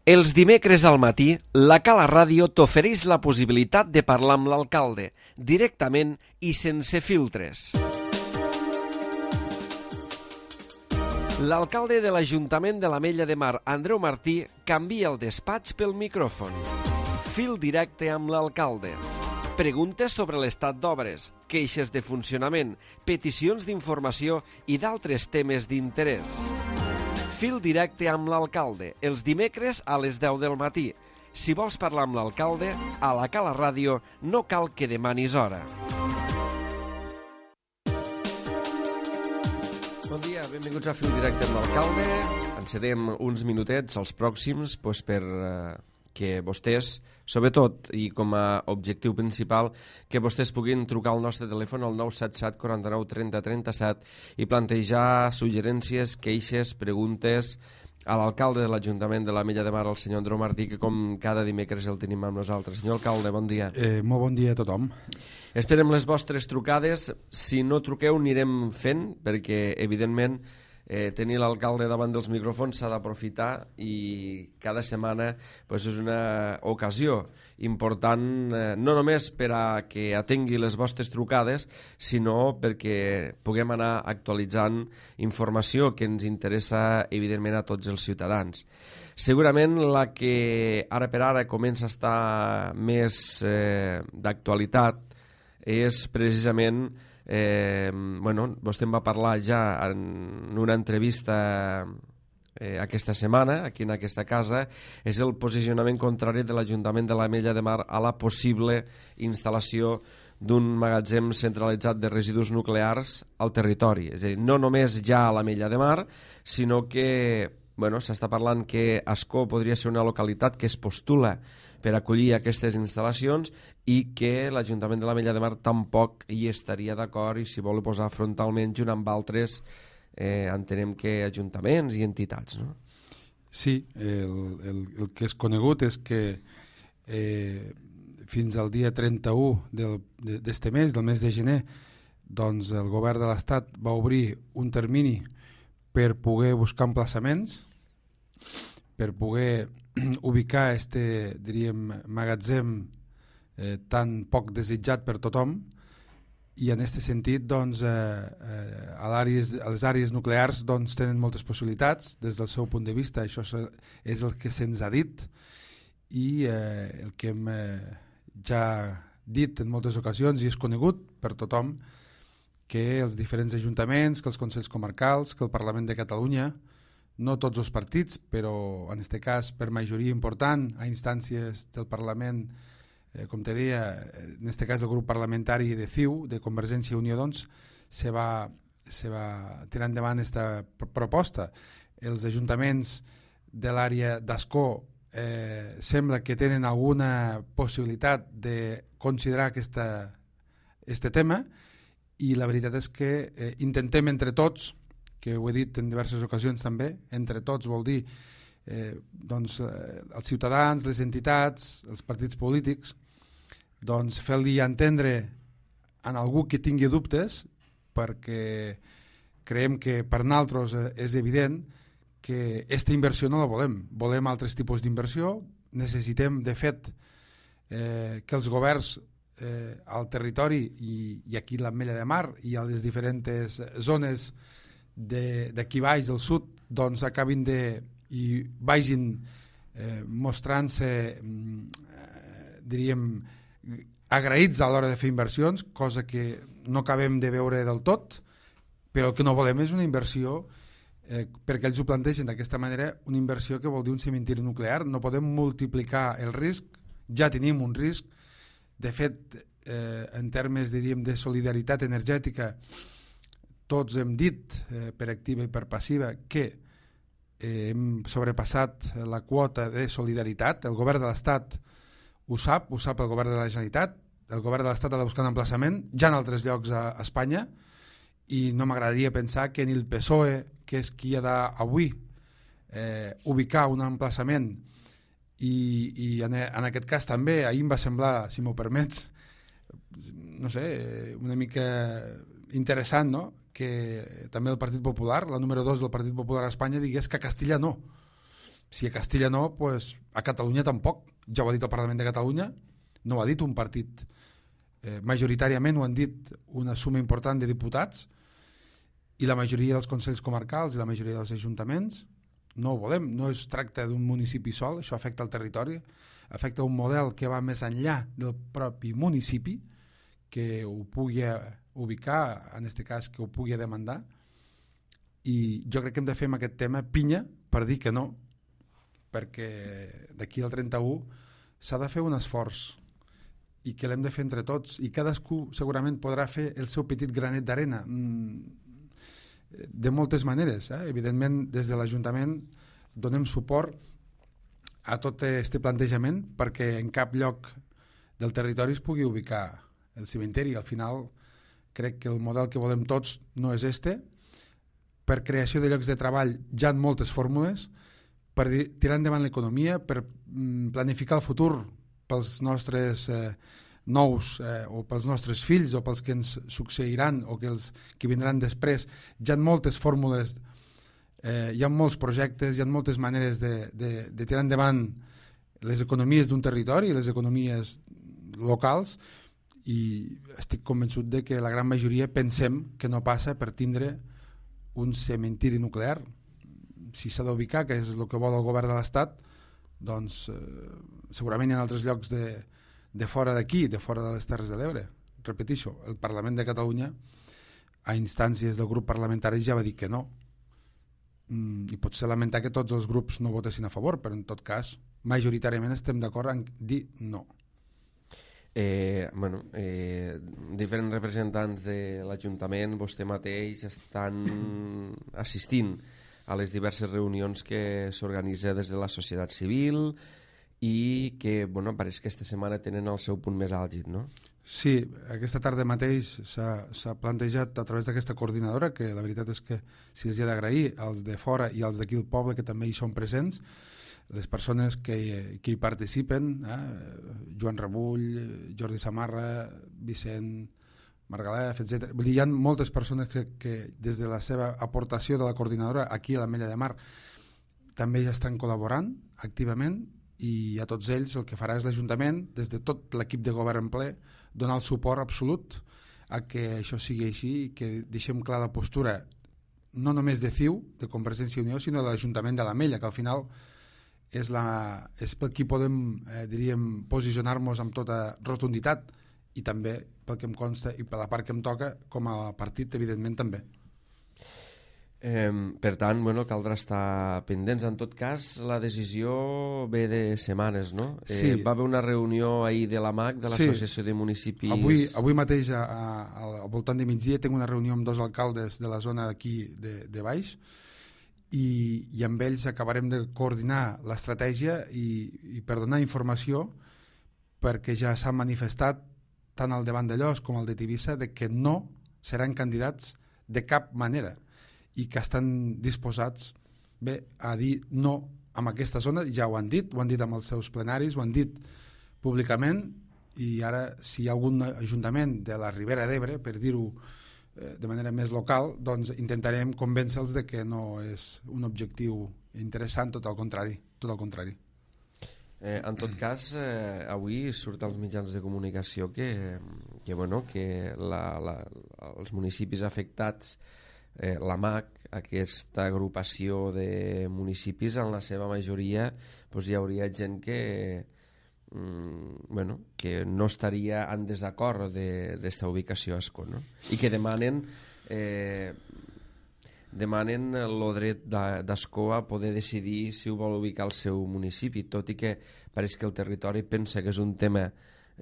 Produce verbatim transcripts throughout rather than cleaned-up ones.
Els dimecres al matí, la Cala Ràdio t'ofereix la possibilitat de parlar amb l'alcalde, directament i sense filtres. L'alcalde de l'Ajuntament de l'Ametlla de Mar, Andreu Martí, canvia el despatx pel micròfon. Fil directe amb l'alcalde. Preguntes sobre l'estat d'obres, queixes de funcionament, peticions d'informació i d'altres temes d'interès. Fil directe amb l'alcalde, els dimecres a les deu del matí. Si vols parlar amb l'alcalde, a la Cala Ràdio no cal que demanis hora. Bon dia, benvinguts a Fil directe amb l'alcalde. Ens cedem uns minutets als pròxims doncs, per eh, que vostès, sobretot, i com a objectiu principal, que vostès puguin trucar al nostre telèfon al nou set set quaranta-nou trenta trenta-set i plantejar suggerències, queixes, preguntes a l'alcalde de l'Ajuntament de l'Ametlla de Mar, el senyor Andreu Martí, que com cada dimecres el tenim amb nosaltres. Senyor alcalde, bon dia. Eh, molt bon dia a tothom. Esperem les vostres trucades. Si no truqueu, anirem fent, perquè, evidentment, Eh, tenir l'alcalde davant dels micròfons s'ha d'aprofitar i cada setmana pues, és una ocasió important, eh, no només per a que atengui les vostres trucades, sinó perquè puguem anar actualitzant informació que ens interessa evidentment a tots els ciutadans. Segurament la que ara per ara comença a estar més eh, d'actualitat és precisament Eh, bueno, vostè em va parlar ja en una entrevista eh, aquesta setmana, aquí en aquesta casa, és el posicionament contrari de l'Ajuntament de l'Ametlla de Mar a la possible instal·lació d'un magatzem centralitzat de residus nuclears al territori. És a dir, no només ja a l'Ametlla de Mar, sinó que bueno, s'està parlant que Ascó podria ser una localitat que es postula per acollir aquestes instal·lacions i que l'Ajuntament de l'Ametlla de Mar tampoc hi estaria d'acord i s'hi vol posar frontalment junt amb altres, eh, entenem que ajuntaments i entitats, no? Sí, el, el, el que és conegut és que eh, fins al dia trenta-u d'este mes, del mes de gener, doncs el govern de l'Estat va obrir un termini per poder buscar emplaçaments, per poder ubicar este, diríem, magatzem eh, tan poc desitjat per tothom, i en aquest sentit doncs, eh, eh, a, l'àrees, a les àrees nuclears doncs, tenen moltes possibilitats des del seu punt de vista. Això és el que se'ns ha dit i eh, el que hem eh, ja dit en moltes ocasions i és conegut per tothom, que els diferents ajuntaments, que els consells comarcals, que el Parlament de Catalunya, no tots els partits, però en aquest cas per majoria important a instàncies del Parlament, eh, com te deia, en aquest cas del grup parlamentari de C I U, de Convergència i Unió, doncs, se va, se va tirar endavant aquesta proposta. Els ajuntaments de l'àrea d'Ascó eh, sembla que tenen alguna possibilitat de considerar aquesta, este tema, i la veritat és que eh, intentem entre tots, que ho he dit en diverses ocasions també, entre tots vol dir eh, doncs, eh, els ciutadans, les entitats, els partits polítics, doncs fer-li entendre a algú que tingui dubtes, perquè creiem que per nosaltres és evident que aquesta inversió no la volem. Volem altres tipus d'inversió, necessitem de fet eh, que els governs Eh, al territori i, i aquí a l'Ametlla de Mar i a les diferents zones d'aquí de, baix del sud doncs acabin de i vagin eh, mostrant-se eh, diríem agraïts a l'hora de fer inversions, cosa que no acabem de veure del tot, però el que no volem és una inversió eh, perquè ells ho plantegen d'aquesta manera, una inversió que vol dir un cementiri nuclear. No podem multiplicar el risc, ja tenim un risc. De fet, eh, en termes diríem, de solidaritat energètica, tots hem dit, eh, per activa i per passiva, que eh, hem sobrepassat la quota de solidaritat. El govern de l'Estat ho sap, ho sap el govern de la Generalitat. El govern de l'Estat ha de buscar un emplaçament, ja en altres llocs a Espanya, i no m'agradaria pensar que ni el P S O E, que és qui ha d'avui eh, ubicar un emplaçament, i, i en, en aquest cas també ahir em va semblar, si m'ho permets, no sé, una mica interessant, no?, que també el Partit Popular, la número dos del Partit Popular a Espanya, digués que a Castilla no. Si a Castilla no, pues a Catalunya tampoc. Ja ho ha dit el Parlament de Catalunya, no ho ha dit un partit. Eh, majoritàriament ho han dit una suma important de diputats i la majoria dels consells comarcals i la majoria dels ajuntaments. No ho volem, no es tracta d'un municipi sol, això afecta el territori, afecta un model que va més enllà del propi municipi, que ho pugui ubicar, en aquest cas que ho pugui demandar, i jo crec que hem de fer amb aquest tema pinya per dir que no, perquè d'aquí al trenta-u s'ha de fer un esforç i que l'hem de fer entre tots, i cadascú segurament podrà fer el seu petit granet d'arena de moltes maneres. Eh? Evidentment, des de l'Ajuntament donem suport a tot aquest plantejament perquè en cap lloc del territori es pugui ubicar el cimenteri. Al final, crec que el model que volem tots no és este. Per creació de llocs de treball ja en moltes fórmules, per tirar endavant l'economia, per planificar el futur pels nostres eh, nous eh, o pels nostres fills o pels que ens succeiran o que els que vindran després. Hi ha moltes fórmules, eh, hi ha molts projectes, hi ha moltes maneres de, de, de tirar endavant les economies d'un territori, les economies locals, i estic convençut de que la gran majoria pensem que no passa per tindre un cementiri nuclear. Si s'ha d'ubicar, que és el que vol el govern de l'Estat, doncs eh, segurament hi ha altres llocs de, de fora d'aquí, de fora de les Terres de l'Ebre. Repeteixo, el Parlament de Catalunya a instàncies del grup parlamentari ja va dir que no, mm, i pot ser lamentar que tots els grups no votessin a favor, però en tot cas majoritàriament estem d'acord en dir no. Eh, bueno, eh, diferents representants de l'Ajuntament, vostè mateix, estan assistint a les diverses reunions que s'organitza des de la societat civil i que, bueno, pareix que aquesta setmana tenen el seu punt més àlgid, no? Sí, aquesta tarda mateix s'ha plantejat a través d'aquesta coordinadora, que la veritat és que si els he d'agrair als de fora i als d'aquí del poble que també hi són presents, les persones que, que hi participen, eh? Joan Rebull, Jordi Samarra, Vicent Margalef, etcètera. Vull dir, hi ha moltes persones que, que des de la seva aportació de la coordinadora aquí a l'Ametlla de Mar també ja estan col·laborant activament, i a tots ells el que farà és l'Ajuntament, des de tot l'equip de govern en ple, donar el suport absolut a que això sigui així i que deixem clar la postura no només de C I U, de Convergència i Unió, sinó de l'Ajuntament de l'Ametlla, que al final és, la, és per qui podem eh, diríem, posicionar-nos amb tota rotunditat, i també pel que em consta i per la part que em toca com a partit, evidentment també. Eh, per tant, bueno, caldrà estar pendents. En tot cas, la decisió ve de setmanes, no? Eh, sí. Va haver una reunió ahir de l'A M A C, de l'Associació sí. de Municipis... Avui, avui mateix, a, a, al voltant de migdia, tinc una reunió amb dos alcaldes de la zona d'aquí de, de baix, i, i amb ells acabarem de coordinar l'estratègia i, i per donar informació, perquè ja s'ha manifestat tant al de Vandellòs com al de Tivissa de que no seran candidats de cap manera i que estan disposats bé, a dir no amb aquesta zona. Ja ho han dit, ho han dit amb els seus plenaris, ho han dit públicament, i ara si hi ha algun ajuntament de la Ribera d'Ebre, per dir-ho eh, de manera més local, doncs intentarem convèncer-los de que no és un objectiu interessant, tot al contrari, tot al contrari. Eh, en tot cas, eh, avui surt als mitjans de comunicació que, que, bueno, que la, la, els municipis afectats, eh, l'A M A C, aquesta agrupació de municipis, en la seva majoria doncs hi hauria gent que, mm, bueno, que no estaria en desacord d'esta de, ubicació a Ascó, no? I que demanen... Eh, demanen el dret d'Ascó a poder decidir si ho vol ubicar al seu municipi, tot i que pareix que el territori pensa que és un tema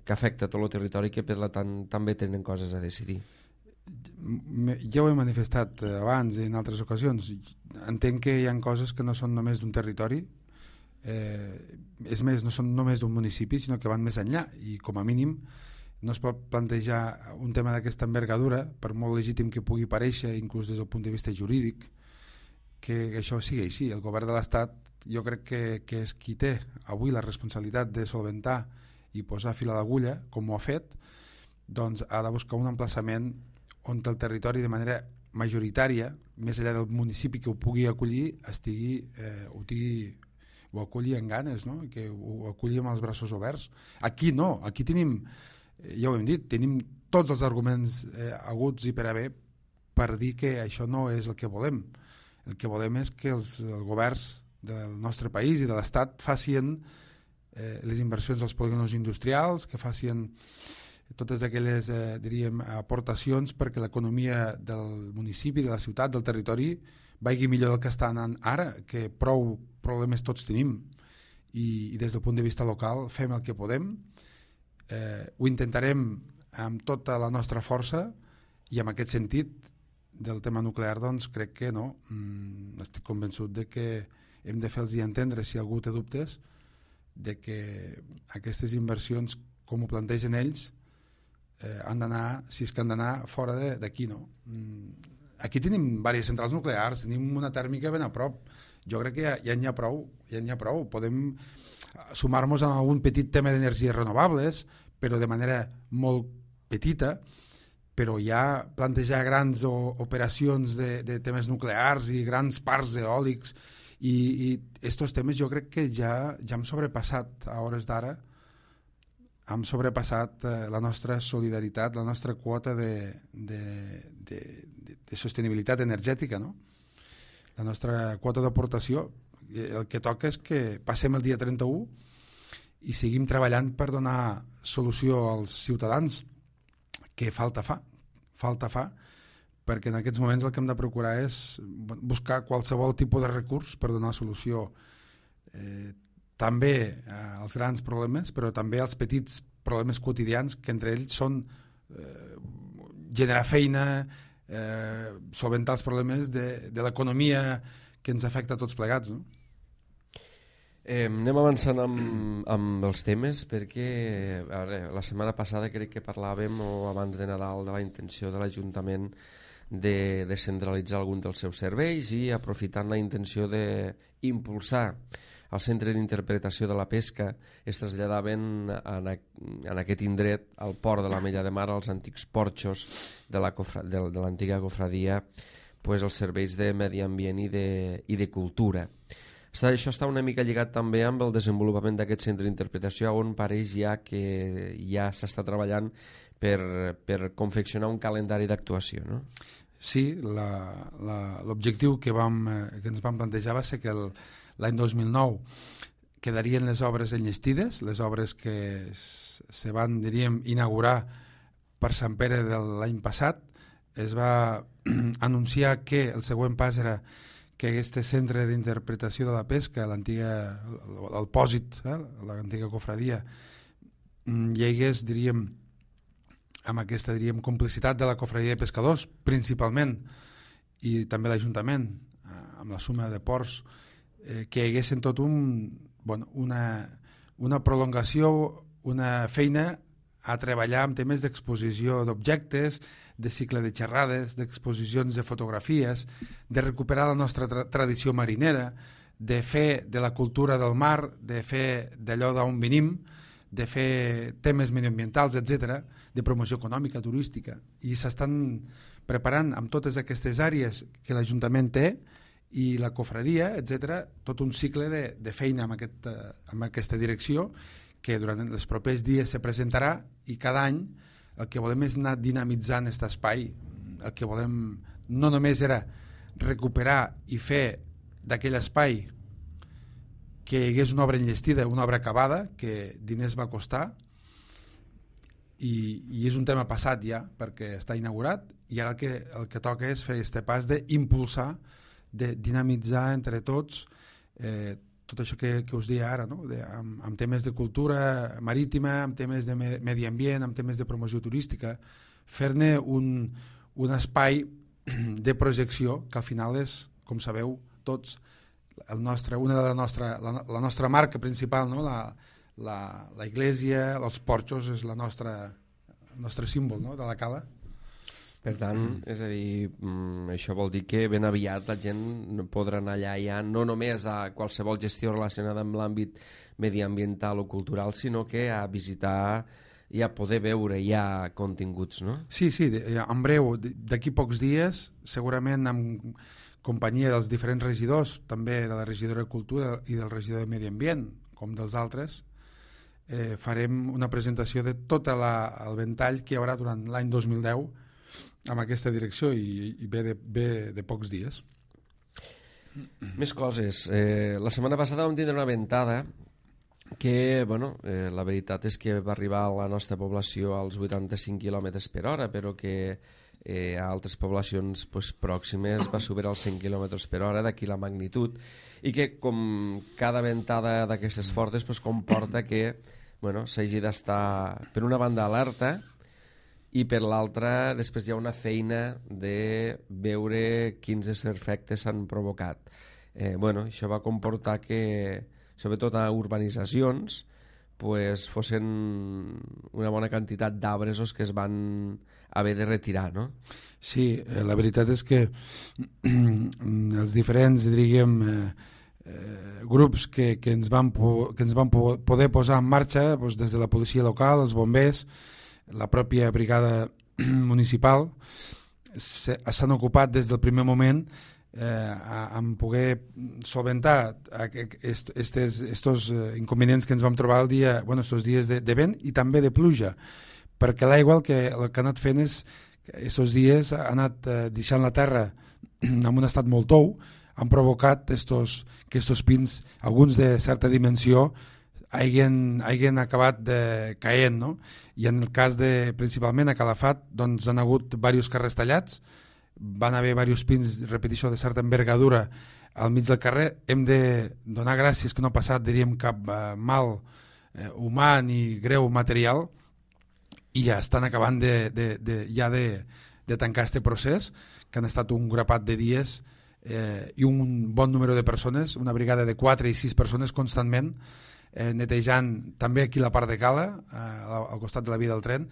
que afecta tot el territori, que per tant també tenen coses a decidir. Ja ho he manifestat abans i en altres ocasions. Entenc que hi ha coses que no són només d'un territori, eh, és més, no són només d'un municipi, sinó que van més enllà, i com a mínim no es pot plantejar un tema d'aquesta envergadura, per molt legítim que pugui parèixer, inclús des del punt de vista jurídic, que això sigui així. El govern de l'Estat, jo crec que, que és qui té avui la responsabilitat de solventar i posar fil a l'agulla, com ho ha fet, doncs ha de buscar un emplaçament on el territori de manera majoritària, més enllà del municipi que ho pugui acollir, estigui, eh, ho tingui ho acolli amb ganes, no? Que ho acolli amb els braços oberts. Aquí no, aquí tenim, ja ho hem dit, tenim tots els arguments eh, aguts i per haver per dir que això no és el que volem. El que volem és que els, els governs del nostre país i de l'Estat facin eh, les inversions als polígons industrials, que facin totes aquelles eh, diríem, aportacions perquè l'economia del municipi, de la ciutat, del territori vagi millor del que està anant ara, que prou problemes tots tenim i, i des del punt de vista local fem el que podem, eh, ho intentarem amb tota la nostra força i en aquest sentit del tema nuclear doncs crec que no, mm, estic convençut de que hem de fer-los entendre, si algú té dubtes, de que aquestes inversions com ho plantegen ells eh, han d'anar, si és que han d'anar fora d'aquí, no? Mm, aquí tenim diverses centrals nuclears, tenim una tèrmica ben a prop, jo crec que ja, ja n'hi ha prou, ja n'hi ha prou, podem sumar-nos a algun petit tema d'energies renovables, però de manera molt petita, però ja plantejar grans o, operacions de, de temes nuclears i grans parcs eòlics i, i estos temes jo crec que ja, ja hem sobrepassat a hores d'ara, hem sobrepassat eh, la nostra solidaritat, la nostra quota de, de, de, de, de sostenibilitat energètica, no? La nostra quota d'aportació. El que toca és que passem el dia trenta-u i seguim treballant per donar solució als ciutadans, que falta fa, falta fa, perquè en aquests moments el que hem de procurar és buscar qualsevol tipus de recurs per donar solució eh, també als grans problemes, però també als petits problemes quotidians, que entre ells són eh, generar feina, eh, solventar els problemes de, de l'economia que ens afecta a tots plegats, no? Eh, anem avançant amb, amb els temes perquè a veure, la setmana passada crec que parlàvem o abans de Nadal de la intenció de l'Ajuntament de descentralitzar algun dels seus serveis i aprofitant la intenció d'impulsar el centre d'interpretació de la pesca es traslladaven en, a, en aquest indret al port de la Mella de Mar, als antics porxos de la cofra, de, de l'antiga cofradia, pues, els serveis de medi ambient i de, i de cultura. Està, això està una mica lligat també amb el desenvolupament d'aquest centre d'interpretació on pareix ja que ja s'està treballant per, per confeccionar un calendari d'actuació, no? Sí, l'objectiu que, vam, que ens vam plantejar va ser que l'any dos mil nou quedarien les obres enllestides, les obres que se van, diríem, inaugurar per Sant Pere de l'any passat. Es va anunciar que el següent pas era que aquest centre d'interpretació de la pesca, l'antiga, el pòsit, eh, l'antiga cofradia, hi hagués, diríem, amb aquesta, diríem, complicitat de la cofradia de pescadors, principalment, i també l'Ajuntament, amb la suma de ports, eh, que hi haguessin tot un, bueno, una, una prolongació, una feina a treballar amb temes d'exposició d'objectes, de cicle de xerrades, d'exposicions de fotografies, de recuperar la nostra tra tradició marinera, de fer de la cultura del mar, de fer d'allò d'on venim, de fer temes medioambientals, etcètera, de promoció econòmica, turística. I s'estan preparant amb totes aquestes àrees que l'Ajuntament té i la cofradia, etcètera, tot un cicle de, de feina amb, aquest, amb aquesta direcció que durant els propers dies se presentarà i cada any el que volem és anar dinamitzant aquest espai. El que volem no només era recuperar i fer d'aquell espai que hi hagués una obra enllestida, una obra acabada, que diners va costar, i, i és un tema passat ja, perquè està inaugurat, i ara el que, el que toca és fer aquest pas d'impulsar, de dinamitzar entre tots eh, tot això que, que us deia ara, no? de, amb, amb temes de cultura marítima, amb temes de me, medi ambient, amb temes de promoció turística, fer-ne un, un espai de projecció que al final és, com sabeu tots, el nostre, una de la nostra, la, la nostra marca principal, no? la, la, la iglesia, els porxos és la nostra, el nostre símbol, no? de la cala. Per tant, és a dir, això vol dir que ben aviat la gent podrà anar allà ja no només a qualsevol gestió relacionada amb l'àmbit mediambiental o cultural, sinó que a visitar i a poder veure ja continguts, no? Sí, sí, en breu, d'aquí pocs dies, segurament amb companyia dels diferents regidors, també de la regidora de Cultura i del regidor de Medi Ambient, com dels altres, eh, farem una presentació de tot la, el ventall que hi haurà durant l'any dos mil deu amb aquesta direcció i, i ve, de, ve de pocs dies. Més coses. Eh, la setmana passada vam tindre una ventada que, bueno, eh, la veritat és que va arribar a la nostra població als vuitanta-cinc quilòmetres per hora, però que eh, a altres poblacions pues, pròximes va superar els cent quilòmetres per hora, d'aquí la magnitud, i que com cada ventada d'aquestes fortes pues, comporta que bueno, s'hagi d'estar per una banda alerta i per l'altra després hi ha una feina de veure quins efectes s'han provocat. Eh, bueno, això va comportar que, sobretot a urbanitzacions, pues, fossin una bona quantitat d'arbres que es van haver de retirar, no? Sí, eh, la veritat és que els diferents, diríem, eh, eh, grups que, que ens van, po que ens van po poder posar en marxa, doncs, des de la policia local, els bombers, la pròpia brigada municipal, s'han ocupat des del primer moment eh, en poder solventar aquests inconvenients que ens vam trobar el dia, bueno, estos dies de, de vent i també de pluja, perquè l'aigua el que, el que ha anat fent és aquests dies ha anat eh, deixant la terra en un estat molt tou, han provocat estos, que estos pins, alguns de certa dimensió, hagin, hagin acabat de, caient, no? I en el cas de, principalment a Calafat, doncs han hagut diversos carrers tallats, van haver diversos pins, repeteixo, de certa envergadura al mig del carrer. Hem de donar gràcies que no ha passat, diríem, cap eh, mal eh, humà ni greu material, i ja estan acabant de, de, de, ja de, de tancar este procés, que han estat un grapat de dies eh, i un bon número de persones, una brigada de quatre i sis persones constantment, eh, netejant també aquí la part de Cala, eh, al costat de la via del tren,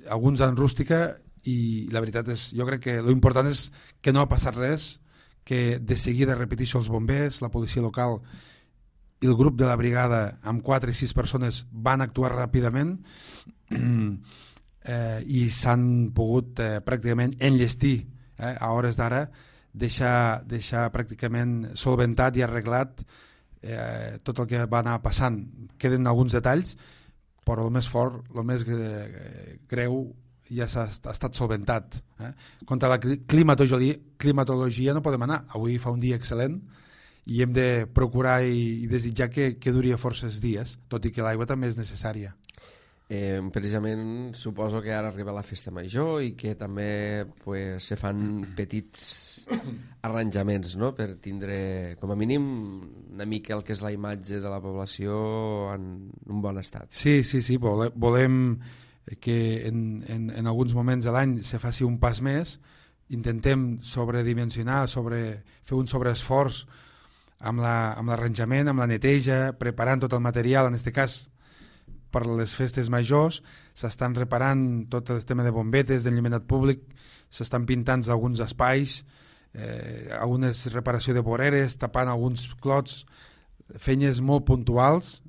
alguns en rústica, i la veritat és, jo crec que l'important és que no ha passat res, que de seguida, repeteixo, els bombers, la policia local i el grup de la brigada amb quatre i sis persones van actuar ràpidament eh, i s'han pogut eh, pràcticament enllestir eh, a hores d'ara, deixar, deixar pràcticament solventat i arreglat eh, tot el que va anar passant. Queden alguns detalls, però el més fort, el més greu ja s'ha estat solventat. Eh? Contra la climatologia, climatologia no podem anar. Avui fa un dia excel·lent i hem de procurar i, i desitjar que, que duri forces dies, tot i que l'aigua també és necessària. Eh, precisament suposo que ara arriba la festa major i que també pues, se fan petits arranjaments, no?, per tindre com a mínim una mica el que és la imatge de la població en un bon estat. Sí, sí, sí, volem, volem que en, en, en alguns moments de l'any se faci un pas més, intentem sobredimensionar, sobre, fer un sobreesforç amb l'arranjament, la, amb la neteja, preparant tot el material, en aquest cas per les festes majors, s'estan reparant tot el tema de bombetes, d'enllumenat públic, s'estan pintant alguns espais, eh, algunes reparació de voreres, tapant alguns clots, feines molt puntuals,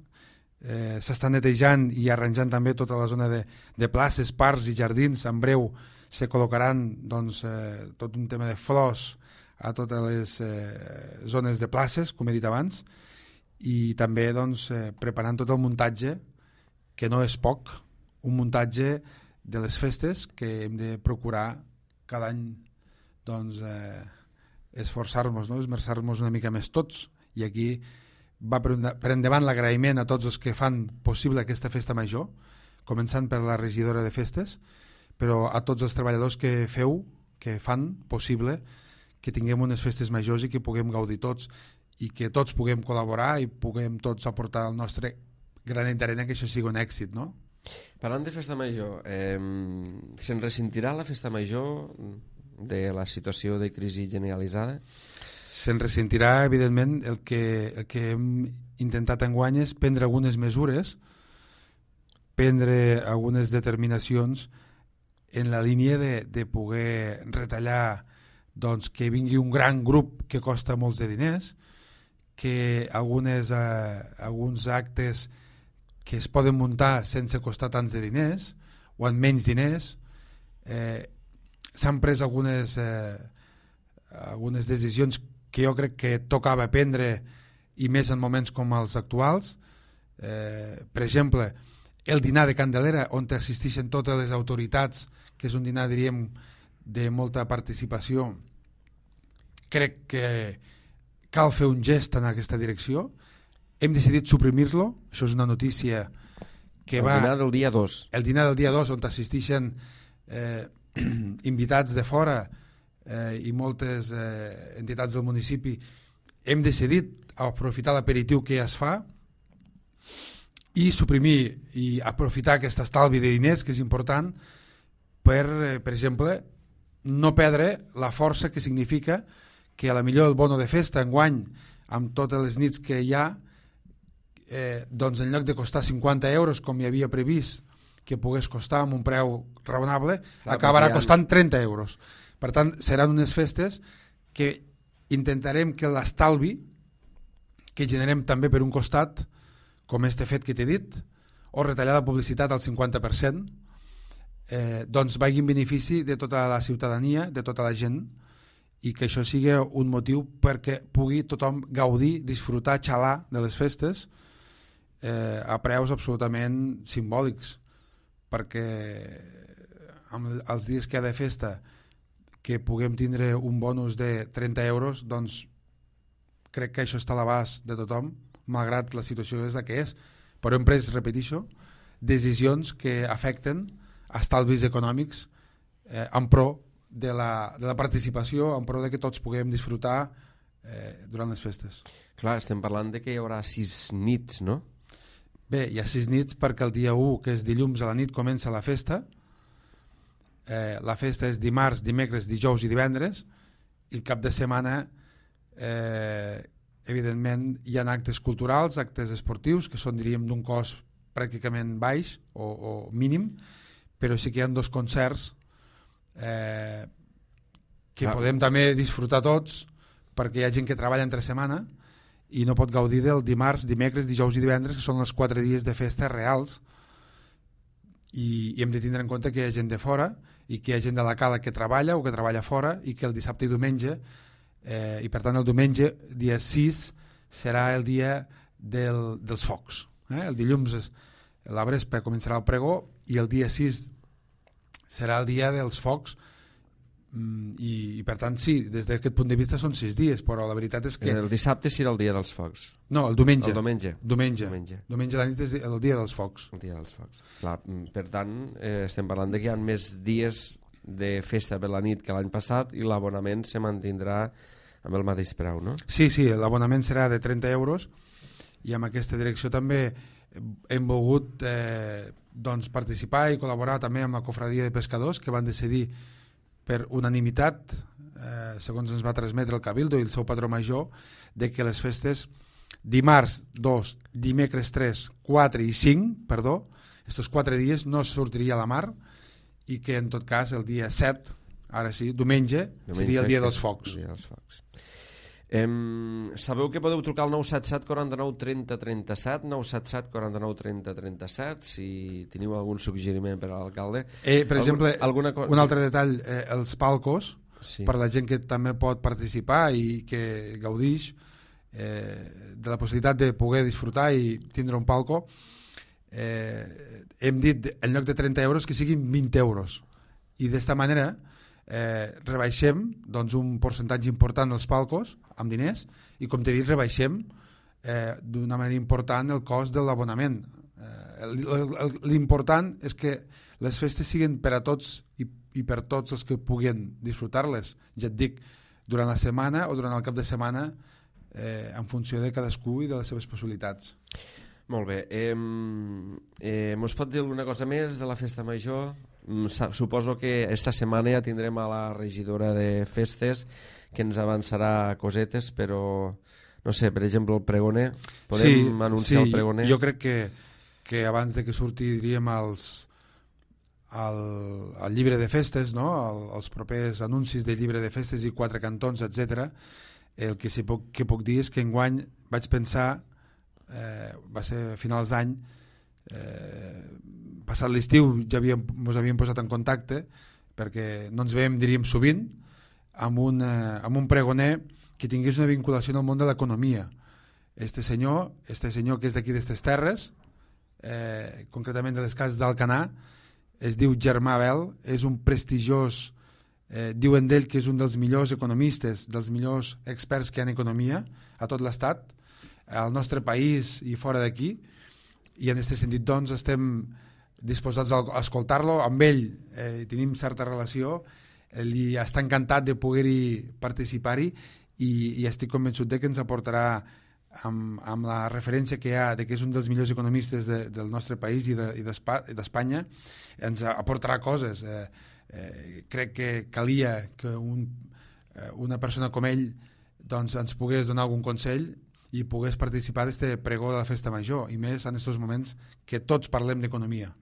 eh, s'estan netejant i arranjant també tota la zona de, de places, parcs i jardins. En breu se col·locaran doncs, eh, tot un tema de flors a totes les eh, zones de places, com he dit abans, i també doncs, eh, preparant tot el muntatge, que no és poc, un muntatge de les festes que hem de procurar cada any doncs, eh, esforçar-nos, no? esmerçar-nos una mica més tots, i aquí va per, una, per endavant l'agraïment a tots els que fan possible aquesta festa major, començant per la regidora de festes, però a tots els treballadors que feu, que fan possible que tinguem unes festes majors i que puguem gaudir tots i que tots puguem col·laborar i puguem tots aportar el nostre granet d'arena, que això sigui un èxit, no? Parlant de festa major, eh, se'n ressentirà la festa major de la situació de crisi generalitzada? Se'n ressentirà, evidentment. El que, el que hem intentat enguany és prendre algunes mesures, prendre algunes determinacions en la línia de, de poder retallar doncs, que vingui un gran grup que costa molts de diners, que algunes, eh, alguns actes que es poden muntar sense costar tants de diners o amb menys diners. Eh, s'han pres algunes, eh, algunes decisions que jo crec que tocava prendre, i més en moments com els actuals. Eh, per exemple, el dinar de Candelera, on assisteixen totes les autoritats, que és un dinar, diríem, de molta participació. Crec que cal fer un gest en aquesta direcció. Hem decidit suprimir-lo, això és una notícia que el va... dinar del dia dos. El dinar del dia dos, on assisteixen eh, invitats de fora eh, i moltes eh, entitats del municipi. Hem decidit aprofitar l'aperitiu que ja es fa i suprimir i aprofitar aquest estalvi de diners, que és important, per, per exemple, no perdre la força que significa que a la millor el bono de festa enguany, amb totes les nits que hi ha, eh, doncs en lloc de costar cinquanta euros, com hi havia previst que pogués costar amb un preu raonable, clar, acabarà costant trenta euros. Per tant, seran unes festes que intentarem que l'estalvi que generem també per un costat, com este fet que t'he dit, o retallar la publicitat al cinquanta per cent, eh, doncs vagi en benefici de tota la ciutadania, de tota la gent, i que això sigui un motiu perquè pugui tothom gaudir, disfrutar, xalar de les festes eh, a preus absolutament simbòlics, perquè amb els dies que hi ha de festa que puguem tindre un bonus de trenta euros, doncs crec que això està a l'abast de tothom, malgrat la situació és la que és. Però hem pres, repeteixo, decisions que afecten estalvis econòmics eh, en pro de la, de la participació, en pro de que tots puguem disfrutar eh, durant les festes. Clar, estem parlant de que hi haurà sis nits, no? Bé, hi ha sis nits perquè el dia u, que és dilluns a la nit, comença la festa. Eh, la festa és dimarts, dimecres, dijous i divendres, i el cap de setmana eh, evidentment hi ha actes culturals, actes esportius, que són, diríem, d'un cost pràcticament baix o, o mínim, però sí que hi ha dos concerts eh, que ah. podem també disfrutar tots, perquè hi ha gent que treballa entre setmana i no pot gaudir del dimarts, dimecres, dijous i divendres, que són els quatre dies de festa reals, i, i hem de tindre en compte que hi ha gent de fora i que hi ha gent de la cala que treballa o que treballa fora, i que el dissabte i diumenge eh, i per tant el diumenge, dia sis, serà el dia del, dels focs. Eh? El dilluns és, la Vespre començarà el pregó i el dia sis serà el dia dels focs, mm, i, i per tant sí, des d'aquest punt de vista són sis dies, però la veritat és que... El dissabte serà el dia dels focs. No, el diumenge. El diumenge. Diumenge. Diumenge. Diumenge a la nit és el dia dels focs. El dia dels focs. Clar, per tant, eh, estem parlant de que hi ha més dies de festa per la nit que l'any passat i l'abonament se mantindrà amb el mateix preu, no? Sí, sí, l'abonament serà de trenta euros i amb aquesta direcció també hem volgut eh, doncs participar i col·laborar també amb la Cofradia de Pescadors, que van decidir per unanimitat, eh, segons ens va transmetre el Cabildo i el seu patró major, de que les festes dimarts dos, dimecres tres, quatre i cinc, perdó, estos quatre dies no sortiria a la mar, i que en tot cas el dia set, ara sí, diumenge, diumenge seria el dia dels focs. El dia dels focs. Em, sabeu que podeu trucar al nou set set, quaranta-nou, trenta, trenta-set, nou set set, quaranta-nou, trenta, trenta-set, si teniu algun suggeriment per a l'alcalde. Eh, per Algun, exemple, alguna co- un altre detall, eh, els palcos, sí. per la gent que també pot participar i que gaudix eh, de la possibilitat de poder disfrutar i tindre un palco, eh, hem dit en lloc de trenta euros que siguin vint euros, i d'esta manera eh, rebaixem doncs, un percentatge important dels palcos amb diners, i com t'he dit, rebaixem eh, d'una manera important el cost de l'abonament. Eh, l'important és que les festes siguin per a tots i, i per tots els que puguin disfrutar-les, ja et dic, durant la setmana o durant el cap de setmana, eh, en funció de cadascú i de les seves possibilitats. Molt bé. Eh, eh, mos pot dir alguna cosa més de la festa major? Suposo que esta setmana ja tindrem a la regidora de festes que ens avançarà cosetes, però no sé, per exemple el pregoner, podem sí, anunciar sí, el pregoner? Jo crec que, que abans de que surti, diríem, els, el, el llibre de festes, no? el, els propers anuncis del llibre de festes i quatre cantons, etcètera, el que, sí puc, que puc dir és que enguany vaig pensar, eh, va ser a finals d'any, eh, passat l'estiu ja havíem, ens havíem posat en contacte perquè no ens veiem, diríem, sovint, amb un, eh, amb un pregoner que tingués una vinculació en el món de l'economia. Este senyor, este senyor que és d'aquí d'estes terres, eh, concretament de les cases d'Alcanar, es diu Germà Bel, és un prestigiós, eh, diuen d'ell que és un dels millors economistes, dels millors experts que hi ha en economia a tot l'estat, al nostre país i fora d'aquí, i en aquest sentit doncs estem disposats a escoltar-lo. Amb ell eh, tenim certa relació, ell està encantat de poder-hi participar-hi i, i estic convençut de que ens aportarà amb, amb la referència que hi ha de que és un dels millors economistes de, del nostre país i d'Espanya, de, ens aportarà coses. Eh, eh, crec que calia que un, eh, una persona com ell doncs, ens pogués donar algun consell i pogués participar d'aquest pregó de la festa major, i més en aquests moments que tots parlem d'economia.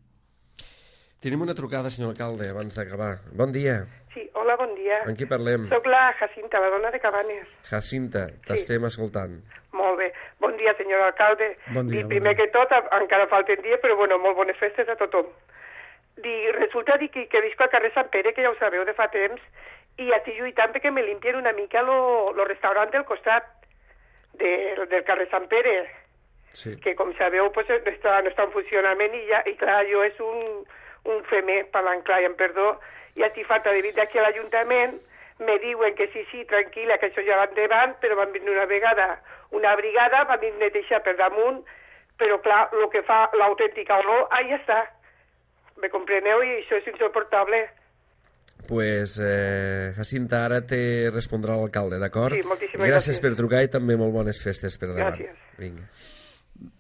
Tenim una trucada, senyor alcalde, abans d'acabar. Bon dia. Sí, hola, bon dia. En qui parlem? Soc la Jacinta, la dona de Cabanes. Jacinta, t'estem sí. escoltant. Molt bé. Bon dia, senyor alcalde. Bon dia. I primer bon dia. Que tot, encara falten dies, però bueno, molt bones festes a tothom. Di, resulta di que, que visc al carrer Sant Pere, que ja ho sabeu de fa temps, i estic lluitant perquè me limpien una mica lo, lo restaurant del costat de, del carrer Sant Pere, sí. que com sabeu pues, no, està, no està en funcionament i, ja, i clar, jo és un, un femer, parlant clar i en perdó, i estic falta de venir d'aquí a l'Ajuntament, me diuen que sí, sí, tranquil·la, que això ja va endavant, però van venir una vegada una brigada, van venir netejar per damunt, però clar, el que fa l'autèntica olor, ahí està. Me compreneu? I això és insoportable. Pues, eh, Jacinta, ara te respondrà l'alcalde, d'acord? Sí, moltíssimes gràcies. Gràcies per trucar i també molt bones festes per davant. Gràcies. Vinga.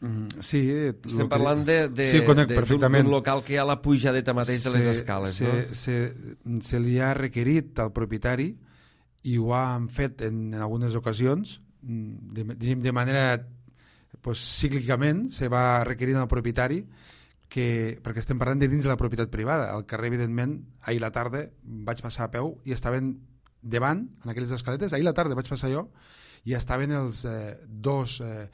Mm, sí, estem parlant de, de, sí, conec, de, d'un local que hi ha la pujadeta mateix de les escales, se, no? Se, se li ha requerit al propietari i ho han fet en, en algunes ocasions, de, de manera pues, cíclicament se va requerir al propietari que, perquè estem parlant de dins de la propietat privada. Al carrer, evidentment, ahir la tarda vaig passar a peu i estaven davant, en aquelles escaletes, ahir la tarda vaig passar jo, i estaven els eh, dos eh,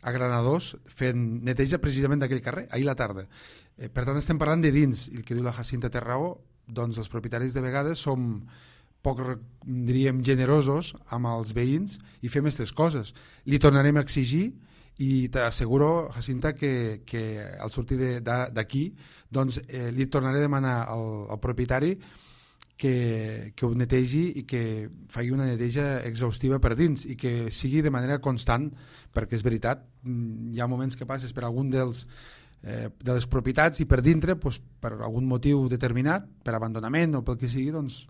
agranadors fent neteja precisament d'aquell carrer, ahir la tarda. Eh, per tant, estem parlant de dins, i el que diu la Jacinta té raó, doncs els propietaris de vegades som poc, diríem, generosos amb els veïns i fem aquestes coses. Li tornarem a exigir i t'asseguro, Jacinta, que, que al sortir d'aquí doncs, eh, li tornaré a demanar al, al propietari que, que ho netegi i que faci una neteja exhaustiva per dins i que sigui de manera constant, perquè és veritat, hi ha moments que passes per algun dels eh, de les propietats i per dintre, doncs, per algun motiu determinat, per abandonament o pel que sigui, doncs,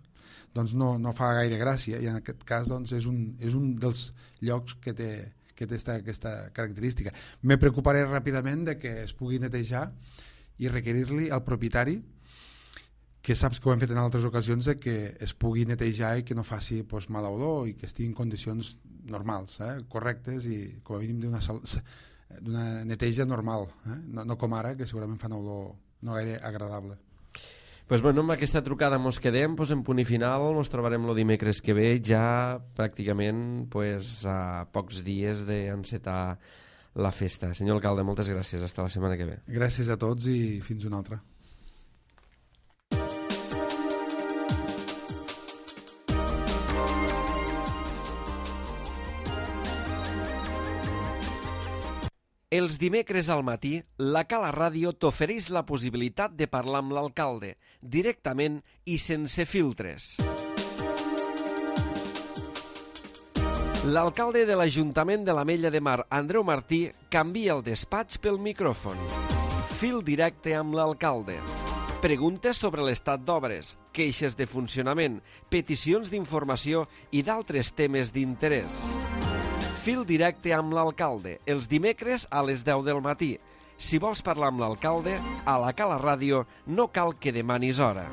doncs no, no fa gaire gràcia, i en aquest cas doncs, és, un, és un dels llocs que té que té esta, aquesta característica. Me preocuparé ràpidament de que es pugui netejar i requerir-li al propietari, que saps que ho hem fet en altres ocasions, de que es pugui netejar i que no faci pues, mala olor i que estigui en condicions normals, eh? correctes i com a mínim d'una neteja normal, eh? no, no com ara, que segurament fa una olor no gaire agradable. Pues bueno, amb aquesta trucada mos quedem, pues en punt i final, ens trobarem el dimecres que ve, ja pràcticament pues, a pocs dies d'encetar la festa. Senyor alcalde, moltes gràcies, hasta la setmana que ve. Gràcies a tots i fins una altra. Els dimecres al matí, la Cala Ràdio t'ofereix la possibilitat de parlar amb l'alcalde, directament i sense filtres. L'alcalde de l'Ajuntament de l'Ametlla de Mar, Andreu Martí, canvia el despatx pel micròfon. Fil directe amb l'alcalde. Preguntes sobre l'estat d'obres, queixes de funcionament, peticions d'informació i d'altres temes d'interès. Fil directe amb l'alcalde, els dimecres a les deu del matí. Si vols parlar amb l'alcalde, a la Cala Ràdio no cal que demanis hora.